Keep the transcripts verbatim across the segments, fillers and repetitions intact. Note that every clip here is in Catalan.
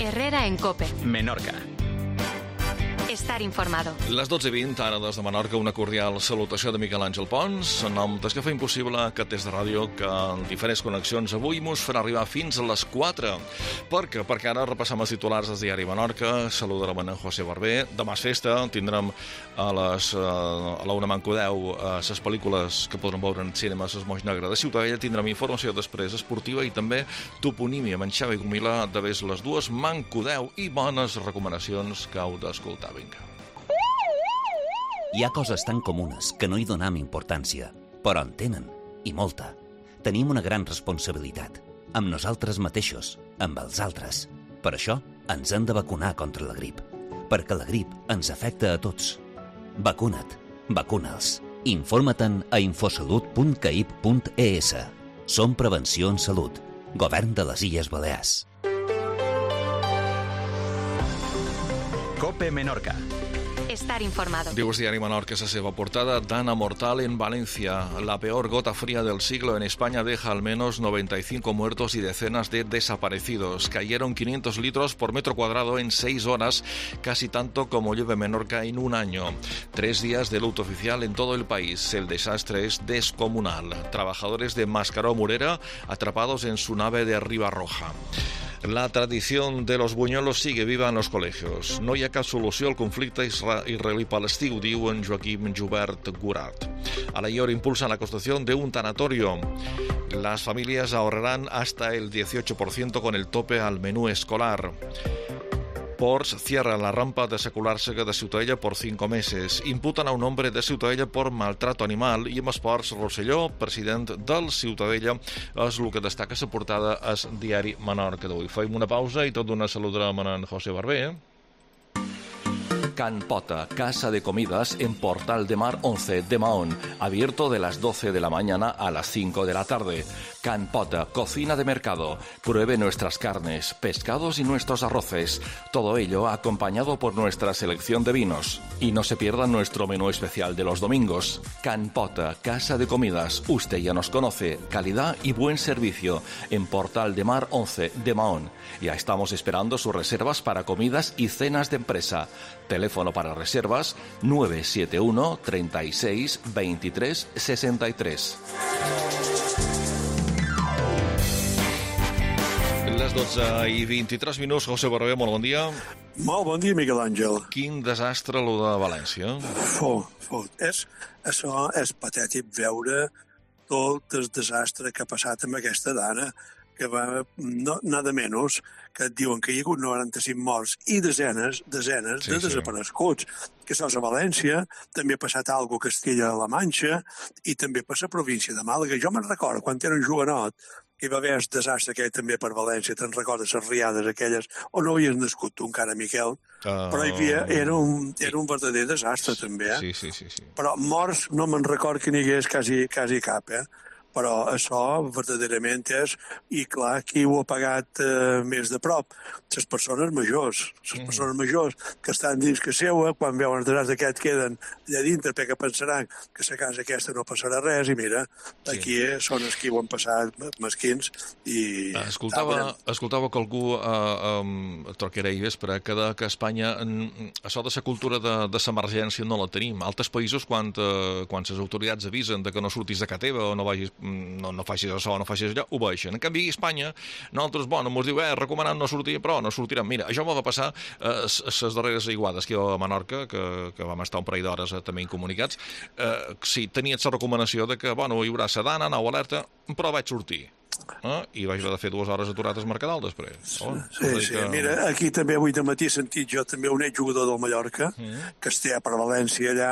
Herrera en COPE. Menorca. Estar informado. Les dotze i vint, ara des de Menorca, una cordial salutació de Miquel Àngel Pons, en nom des que fa impossible que des de ràdio, que en diferents connexions avui mos farà arribar fins a les quatre. Perquè, perquè ara repassam els titulars del diari Menorca, saludarem en José Barber, demà és festa, tindrem a les a la una manco deu les pel·lícules que podrem veure en cinema a Moix Negre de Ciutadella, tindrem informació després esportiva i també toponímia amb en Xavi Gomila de ves les dues manco deu i bones recomanacions que heu d'escoltar. Vinga. Hi ha coses tan comunes que no hi donem importància, però en tenen, i molta. Tenim una gran responsabilitat, amb nosaltres mateixos, amb els altres. Per això ens hem de vacunar contra la grip, perquè la grip ens afecta a tots. Vacuna't, vacuna'ls. Informa-te'n a infosalut punt caip punt es. Som Prevenció en Salut, Govern de les Illes Balears. COPE Menorca. Estar informado. Diu el diari Menorca la seva portada: Dana mortal en Valencia. La peor gota fría del siglo en España deja al menos noventa y cinco muertos y decenas de desaparecidos. Cayeron quinientos litros por metro cuadrado en seis horas, casi tanto como llueve Menorca en un año. Tres días de luto oficial en todo el país. El desastre es descomunal. Trabajadores de Mascaró Murera atrapados en su nave de Ribarroja. La tradición de los buñuelos sigue viva en los colegios. No hi ha cap solució al conflicte israelí-palestí, ho diu en Joaquim Jubert Gurat. A la I O R impulsan la construcción de un tanatorio. Las familias ahorrarán hasta el dieciocho por ciento con el tope al menú escolar. Ports cierra la rampa de Secular Sega de Ciutadella por cinco meses. Imputan a un hombre de Ciutadella por maltrato animal. I amb esports, Rosselló, president del Ciutadella, és el que destaca la portada al diari Menorca d'avui. Fem una pausa i tot d'una saludarem en José Barber. Can Pota, casa de comidas en Portal de Mar once de Mahón, abierto de las doce de la mañana a las cinco de la tarde. Can Pota, cocina de mercado. Pruebe nuestras carnes, pescados y nuestros arroces. Todo ello acompañado por nuestra selección de vinos. Y no se pierda nuestro menú especial de los domingos. Can Pota, casa de comidas. Usted ya nos conoce. Calidad y buen servicio en Portal de Mar once de Mahón. Ya estamos esperando sus reservas para comidas y cenas de empresa. Teléfono para reservas nueve siete uno, treinta y seis, veintitrés, sesenta y tres. Les dotze i vint-i-tres minuts. José Barber, molt bon dia. Molt bon dia, Miquel Àngel. Quin desastre, lo de València. Fo, fo. És, això és patètic veure tot el desastre que ha passat amb aquesta dona, que va, no, nada menys, que et diuen que hi ha hagut noranta-cinc morts i desenes, desenes sí, de desapareguts. Sí. Que això és a València, també ha passat alguna cosa a Castella-La Manxa i també per la província de Màlaga. Jo me'n recordo, quan era un jovenot, que hi va haver el desastre aquell també per València, te'n recordes les riades aquelles, on no havies nascut tu encara, Miquel, uh, però hi havia, era, un, era un verdader desastre també, eh? Sí, sí, sí, sí. Però morts no me'n recordo que n'hi hagués quasi, quasi cap, eh? Però això verdaderament és, i clar, qui ho ha pagat eh, més de prop? Les persones majors, les mm. persones majors que estan dins que seua, quan veuen el desastre aquest queden allà dintre perquè pensaran que la casa aquesta no passarà res, i mira, sí. Aquí són els qui ho han passat mesquins i... Escoltava, escoltava que algú eh, eh, Torquera i Vespre que, de, que a Espanya en, això de la cultura de, de l'emergència no la tenim. Altres països, quan, eh, quan les autoritats avisen de que no surtis de casa teva o no vagis no, no facis això, no facis allò, ho baixen. En canvi, a Espanya, nosaltres, bueno, ens diu, eh, recomanant no sortir, però no sortirem. Mira, això m'ho va passar a eh, les darreres aiguades que a Menorca, que, que vam estar un parell d'hores eh, també incomunicats. Eh, sí, tenia la recomanació de que, bueno, hi haurà sedana, nau alerta, però vaig sortir. Eh? I vaig haver de fer dues hores aturades al Mercadal després. Oh, sí, sí, que... mira, aquí també avui de matí he sentit jo també un exjugador del Mallorca mm. que estia per València allà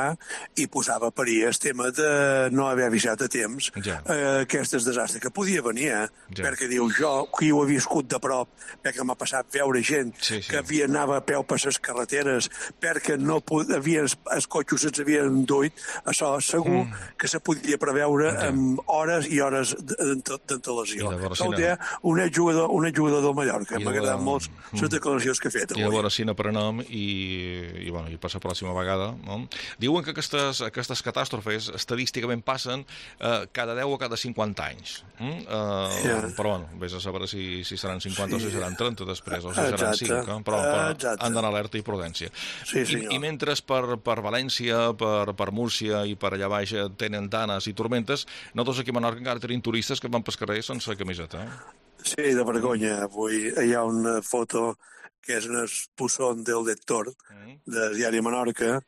i posava a parir el tema de no haver avisat a temps ja. eh, aquest desastre que podia venir, eh? Ja. Perquè diu jo, qui ho he viscut de prop, perquè m'ha passat veure gent sí, sí. que havia anava a peu per les carreteres perquè no havien, els cotxos se'ns havien duit, això segur mm. que se podia preveure ja. amb hores i hores d'entre les declaració. I de veure si Això ho no. té un exjugador, un exjugador del Mallorca. I de M'ha agradat veure- molt les declaracions que ha fet I a avui. veure si n'aprenem i, i, bueno, i per la pròxima vegada. No? Diuen que aquestes, aquestes catàstrofes estadísticament passen eh, cada deu o cada cinquanta anys. Mm? Eh, Yeah. Però, bueno, vés a saber si, si seran cinquanta sí. o si seran trenta després, o si seran Exacte. cinc. Eh? Però, però Exacte. han d'anar alerta i prudència. Sí, I, senyor. I mentre per, per València, per, per Múrcia i per allà baix tenen danes i tormentes, nosaltres aquí a Menorca encara tenim turistes que van pel carrer sense camiseta. Eh? Sí, de vergonya. Avui hi ha una foto que és un expulsón del lector Mm. del diari Menorca,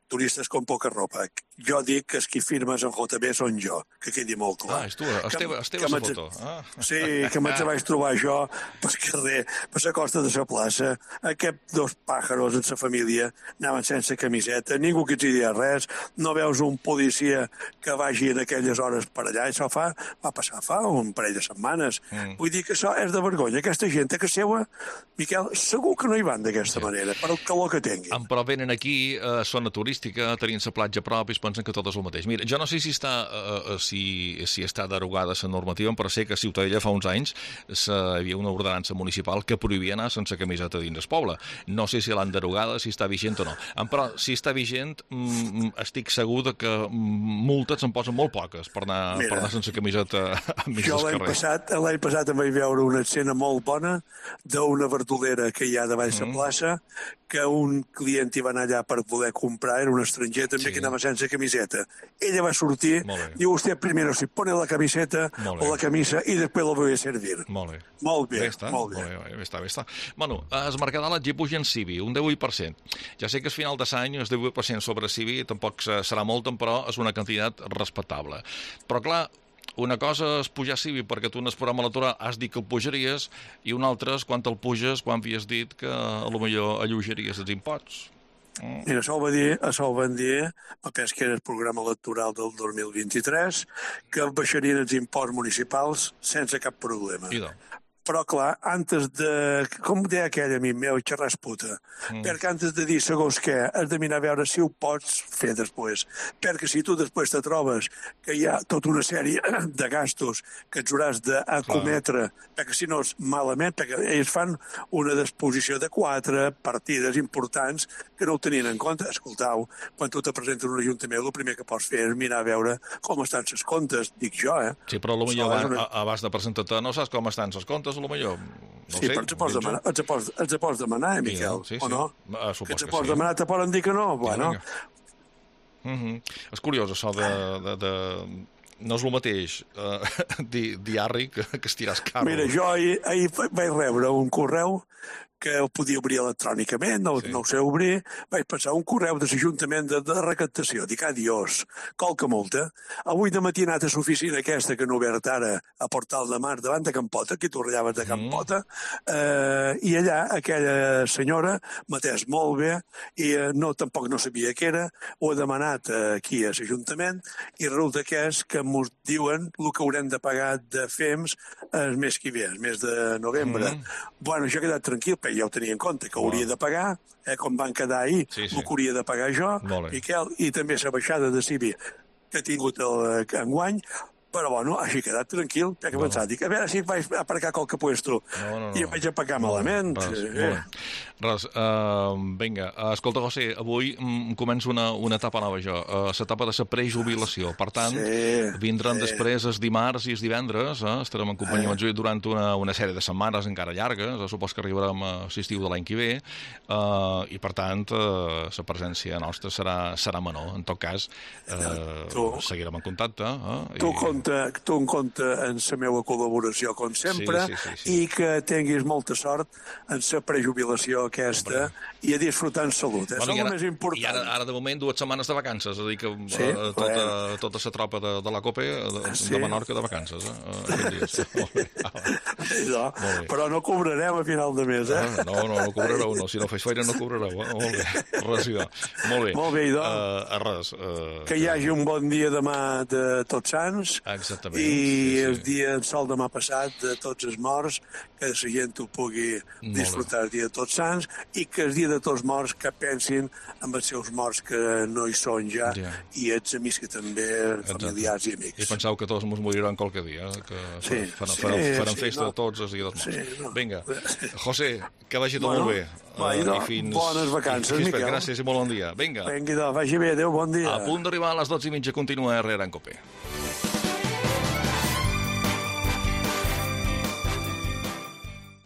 turistes con poca ropa. Jo dic que els qui firmes en J B són jo, que quedi molt clar. Ah, és tu, Esteve, Esteve que la m'haig- foto. Ah. Sí, que me'ls vaig trobar jo per carrer, per la costa de la plaça. Aquests dos pàjaros en la família anaven sense camiseta, ningú que els hi dia res, no veus un policia que vagi en aquelles hores per allà. Això fa, va passar fa un parell de setmanes. Mm. Vull dir que això és de vergonya. Aquesta gent que seua, Miquel, segur que no hi van d'aquesta manera, per el calor que tinguin. En però venen aquí a zona turística, tenint la platja a prop i es pensen que tot és el mateix. Mira, jo no sé si està, uh, si, si està derogada la normativa, però sé que a Ciutadella fa uns anys hi havia una ordenança municipal que prohibia anar sense camiseta dins el poble. No sé si l'han derogada, si està vigent o no. En però, si està vigent, mm, estic segur de que multes se'n posen molt poques per anar, Mira, per anar sense camiseta a mig Jo dels l'any carrers. passat, l'any passat em vaig veure una escena molt bona d'una verdolera que hi ha davall la Mm. plaça, que un client hi va anar allà per poder comprar, era un estranger també Sí. que anava sense camiseta. Ella va sortir, Molt bé. diu, usted primero si pone la camiseta Molt bé. o la camisa y después lo voy a servir. Molt bé. Molt bé, Bé està, molt bé. Molt bé, bé està, bé està. Bueno, es Mercadal et puja en Civi, un divuit per cent. Ja sé que és final de l'any, el divuit per cent sobre Civi tampoc serà molt, però és una quantitat respectable. Però clar, una cosa és pujar Civi perquè tu en el programa electoral has dit que el pujaries i una altra és quan te'l puges quan havies dit que a lo millor alleujaries els imposts. Mm. Mira, això ho va dir, això ho van dir, em penso que era el programa electoral del dos mil vint-i-tres, que baixarien els imposts municipals sense cap problema. I doncs. Però, clar, antes de... Com deia aquell amic meu, xerrar és puta. Mm. Perquè antes de dir segons què, has de mirar a veure si ho pots fer després. Perquè si tu després te trobes que hi ha tota una sèrie de gastos que ets hauràs d'acometre, perquè si no és malament, perquè ells fan una disposició de quatre partides importants que no ho tenien en compte. Escoltau, quan tu te presentes en un ajuntament, el primer que pots fer és mirar a veure com estan els comptes, dic jo, eh? Sí, però a lo millor Això és abans, una- abans de presentar-te no saps com estan els comptes, a lo millor. No Sí, sé, però ens pots penso. demanar, ens pots, ens pots demanar, eh, Sí, Miquel, sí, o sí. no? Ah, supos Que ens que pots sí. demanar, te poden dir que no? Bueno, vinga. Mm-hmm. És curiós, això de... de, de... No és el mateix eh, di, diari que, que estirar els carros. mira, jo ahir, ahir vaig rebre un correu que ho podia obrir electrònicament, no, Sí. sí. no ho sé obrir, vaig pensar un correu de l'Ajuntament de, de recaptació, dic, adiós, colca multa. Avui de matí he anat a l'oficina aquesta que no he obert ara, a Portal de Mar, davant de Campota, aquí tu rallaves de Campota, mm. eh, i allà aquella senyora m'atès molt bé, i eh, no, tampoc no sabia què era, ho he demanat eh, aquí a l'Ajuntament, i resulta que és que ens diuen el que haurem de pagar de F E M S el mes que ve, el mes de novembre. Mm. Bueno, jo he quedat tranquil, perquè ja ho tenia en compte, que hauria de pagar, eh, com van quedar ahir, Sí, sí. el que hauria de pagar jo, Molt bé. Miquel, i també la baixada de Civi que he tingut el, eh, enguany, però bueno, així he quedat tranquil, perquè he Bueno. pensat, dic, a veure si vaig aparcar qualque puesto, No, no, no. i em vaig aparcar Molt bé, malament. Res, eh. molt bé. Res, uh, vinga, uh, escolta, José, avui mm, començo una, una etapa nova jo, uh, l'etapa de la prejubilació. Per tant, Sí, vindran sí. després els dimarts i els divendres, eh? Estarem en companyia amb eh. durant una, una sèrie de setmanes encara llargues, eh? Supos que arribarem a l'estiu de l'any que ve, uh, i per tant, uh, la presència nostra serà, serà menor. En tot cas, uh, Tu- seguirem en contacte. Eh? Tu, I- compta, tu en compte en la meva col·laboració, com sempre, Sí, sí, sí, sí. i que tinguis molta sort en la prejubilació aquesta i a disfrutar en salut. Eh? Bueno, Això i és ara, el més important. I ara, ara, de moment, dues setmanes de vacances. És a dir, que Sí, eh, tota, bueno. tota la tropa de, de la COPE de, Sí. de Menorca de vacances. Eh? eh, aquests dies. Molt bé. No, Molt bé. però no cobrarem a final de mes, eh? Ah, no, no, no cobrareu, no. Si no fes feina no cobrareu. Eh? Molt bé, res, idò. Molt bé. Molt bé, idò. Uh, res. Uh, Que hi hagi un bon dia demà de Tots Sants exactament. I sí, el sí. dia, el sol demà passat, de tots els morts, que la gent ho pugui disfrutar el dia de tots sants, i que el dia de tots morts que pensin amb els seus morts que no hi són ja, Ja. i els amics que també, familiars i amics. I penseu que tots ens moriran qualque dia, que Sí, faran, sí, faran, faran sí, festa no. tots els dies dels morts. Sí, no. Vinga, José, que vagi tot Bueno, molt bé. va, Eh, idò, i fins, bones vacances, i fins, Miquel. Gràcies i molt bon dia. Vinga, Vinga, idò, vagi bé, adéu, bon dia. a punt d'arribar a les dotze i mitja, continua Herrera en Cope.